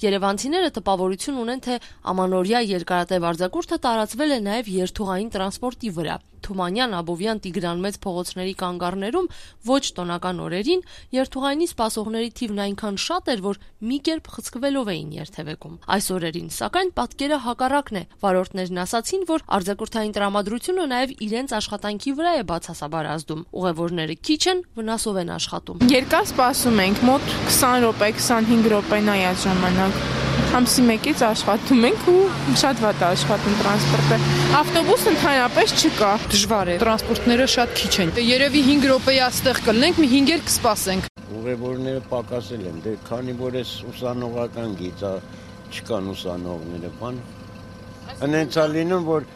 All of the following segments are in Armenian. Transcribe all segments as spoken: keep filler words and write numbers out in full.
Երևանցիները տպավորություն ունեն, թե ամանորյա երկարատև արձակուրդը տարածվել է նաև երթուղային տրանսպորտի վրա։ Թումանյան, Աբովյան, Տիգրան մեծ փողոցների կանգառներում ոչ տոնական օրերին երթուղայինի սպասողների թիվն այնքան շատ էր, որ մի կերպ խցկվելով էին երթևեկում։ Այս օրերին, սակայն, պատկերը հակառակն է։ Վարորդներն ասացին, որ արձակուրդային տրամադրությունը նաև իրենց աշխատանքի վրա է բացասաբար ազդում։ Ուղևորները քիչ են, վնասով են աշխատում։ Երկար սպասում ենք, մոտ քսան րոպե, քսանհինգ րոպեն է այդ ժամանակ։ Ամսի մեկից աշխատում ենք ու շատ վատ է աշխատում տրանսպորտը։ Ավտոբուս ընդհանրապես չկա։ Դժվար է, տրանսպորտները շատ քիչ են։ Երևի հինգ րոպեի այստեղ կլինենք, մի հինգ էլ կսպասենք։ Ուղևորները պակասել են, դե քանի որ էս ուսանողական գիծ է, չկան ուսանողները, բան։ Հենց է լինում, որ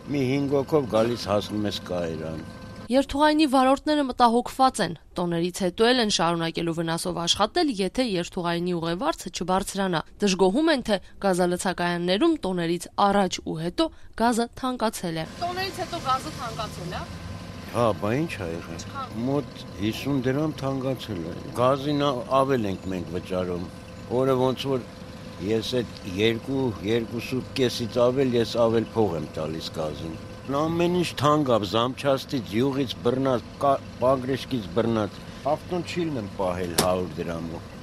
մի հինգ հոգով գալիս հասնում ես Կայարան։ Երթուղայինի վարորդները մտահոգված են, տոներից հետո էլ են շարունակելու վնասով աշխատել, եթե երթուղայինի ուղևորը չբարձրանա։ Դժգոհում են, թե գազալցակայաններում տոներից առաջ ու հետո գազը թանկացել է։ Տոներից հետո գազը թանկացել է։ Հա, բա ինչ ա եղել։ Մոտ հիսուն դրամ թանկացել է։ Գազին ավել ենք մենք վճարում։ Օրը ոնց որ ես այդ երկու, երկուսու կեսից ավել, ես ավել փող եմ տալիս գազին։ Ամեն ինչ թանկ է, զամչաստից, յուղից բռնած, բագրեշկից բռնած, ավտոն չի լինեմ պահել հարյուր դրամով,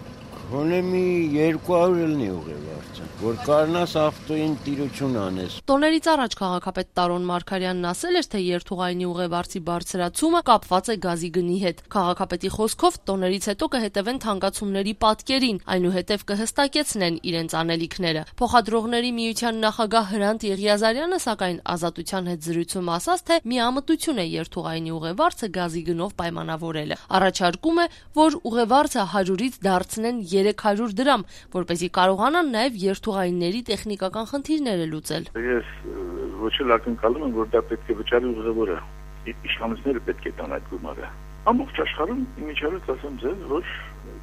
հոնե մի երկու հարյուր լինի ուղևորցը, որ կարնաս ավտոյին տիրություն անես։ Տոներից առաջ քաղաքապետ Տարոն Մարգարյանն ասել էր, թե երթուղայինի ուղևորցի բարձրացումը կապված է գազի գնի հետ։ Քաղաքապետի խոսքով տոներից հետո կհետևեն թանկացումների պատկերին, այնուհետև կհստակեցնեն իրենց անելիքները։ Փոխադրողների միության նախագահ Հրանտ Եղիազարյանը, սակայն Ազատության հետ զրույցում ասաց, թե միամտություն է երթուղայինի ուղևորցը գազի գնով պայմանավորելը։ Առաջարկում է, որ ուղևորցը հարյուրից դարձնեն երեք հարյուր դրամ, որպեսզի կարողանան նաև երթուղայինների տեխնիկական խնդիրները լուծել։ Ես ոչ էլ ակնկալում եմ, որ դա պետք է վճարի ուղևորը։ Իշխանությունները պետք է տան այդ գումարը։ Ամբողջ աշխարհում իմիջիայլոց ասեմ ձեզ, որ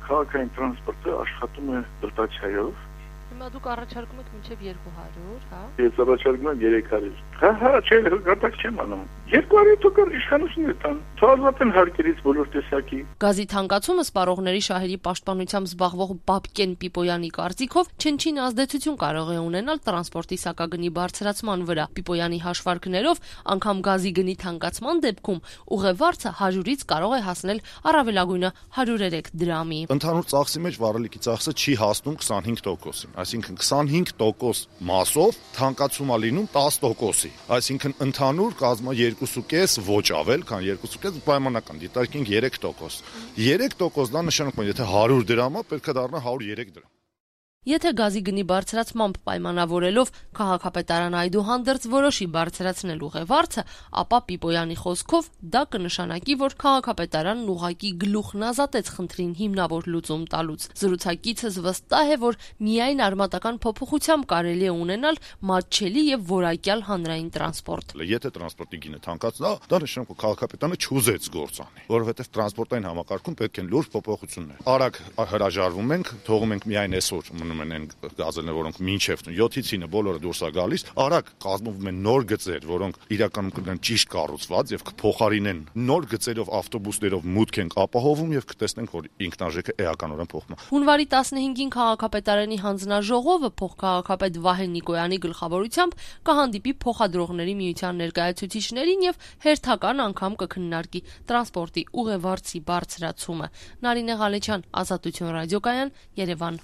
քաղաքային տրանսպորտը աշխատում է դրտացիայով։ Հիմա դուք առաջարկում եք մինչև երկու հարյուր, հա։ Ես առաջարկում եմ երեք հարյուր։ Հա, հա, չէ, գտակ չեմ անում։ երկու հարյուր թոքր իշխանությունները տան։ Թվալվատեն հարկերից բոլոր տեսակի։ Գազի թանկացումը սպառողների շահերի պաշտպանությամբ զբաղվող Բաբկեն Պիպոյանի կարծիքով չնչին ազդեցություն կարող է ունենալ տրանսպորտի սակագնի բարձրացման վրա։ Պիպոյանի հաշվարկներով անգամ գազի գնի թանկացման դեպքում ուղևորցը հարյուրից կարող է հասնել առավելագույնը հարյուր երեք դրամի։ Ընդհանուր ծախսի մեջ վարելիքի ծախսը չի հասնում քսանհինգ տոկոսին, այսինքն քսանհինգ տոկոս մասով թանկացում է լինում տասը տոկոսի, այսինքն ընդհանուր կազմը երկու կես ոչ ավել, քան երկու կես պայմանական, դիտարկենք երեք տոկոս։ երեք տոկոս դա նշանակում է, եթե հարյուր դրամ է, պետք է դառնա հարյուր երեք դրամ։ Եթե գազի գնի բարձրացմամբ պայմանավորելով քաղաքապետարանը այդուհանդերձ որոշի բարձրացնել ուղևորցը, ապա Պիպոյանի խոսքով դա կնշանակի, որ քաղաքապետարանն ուղղակի գլուխն ազատեց խնդրին հիմնավոր լուծում տալուց։ Զրուցակիցս վստահ է, որ միայն արմատական փոփոխությամբ կարելի է ունենալ մատչելի եւ որակյալ հանրային տրանսպորտ։ Եթե տրանսպորտի գինը թանկացնա, դա նշանակում է քաղաքապետարանը չուզեց գործ անի, որովհետեւ տրանսպորտային համակարգում պետք են լուրջ փոփոխություններ։ Արագ հրաժարվում ենք, թողում ենք միայն այսօր են գազելներ, որոնք մինչև յոթից ինը բոլորը դուրս է գալիս, արագ կազմվում են նոր գծեր, որոնք իրականում կլինեն ճիշտ կառուցված եւ կփոխարինեն նոր գծերով ավտոբուսներով մուտք ենք ապահովում եւ կտեսնենք, որ ինքնարժեքը էականորեն փոխվում է։ Հունվարի տասնհինգին քաղաքապետարանի հանձնաժողովը փոխքաղաքապետ Վահե Նիկոյանի գլխավորությամբ կհանդիպի փոխադրողների միության ներկայացուցիչներին եւ հերթական անգամ կքննարկի տրանսպորտի ուղևորցի բարձրացումը։ Նարինե Ղալեչյան, Ազատություն ռադիոկայան, Երևան։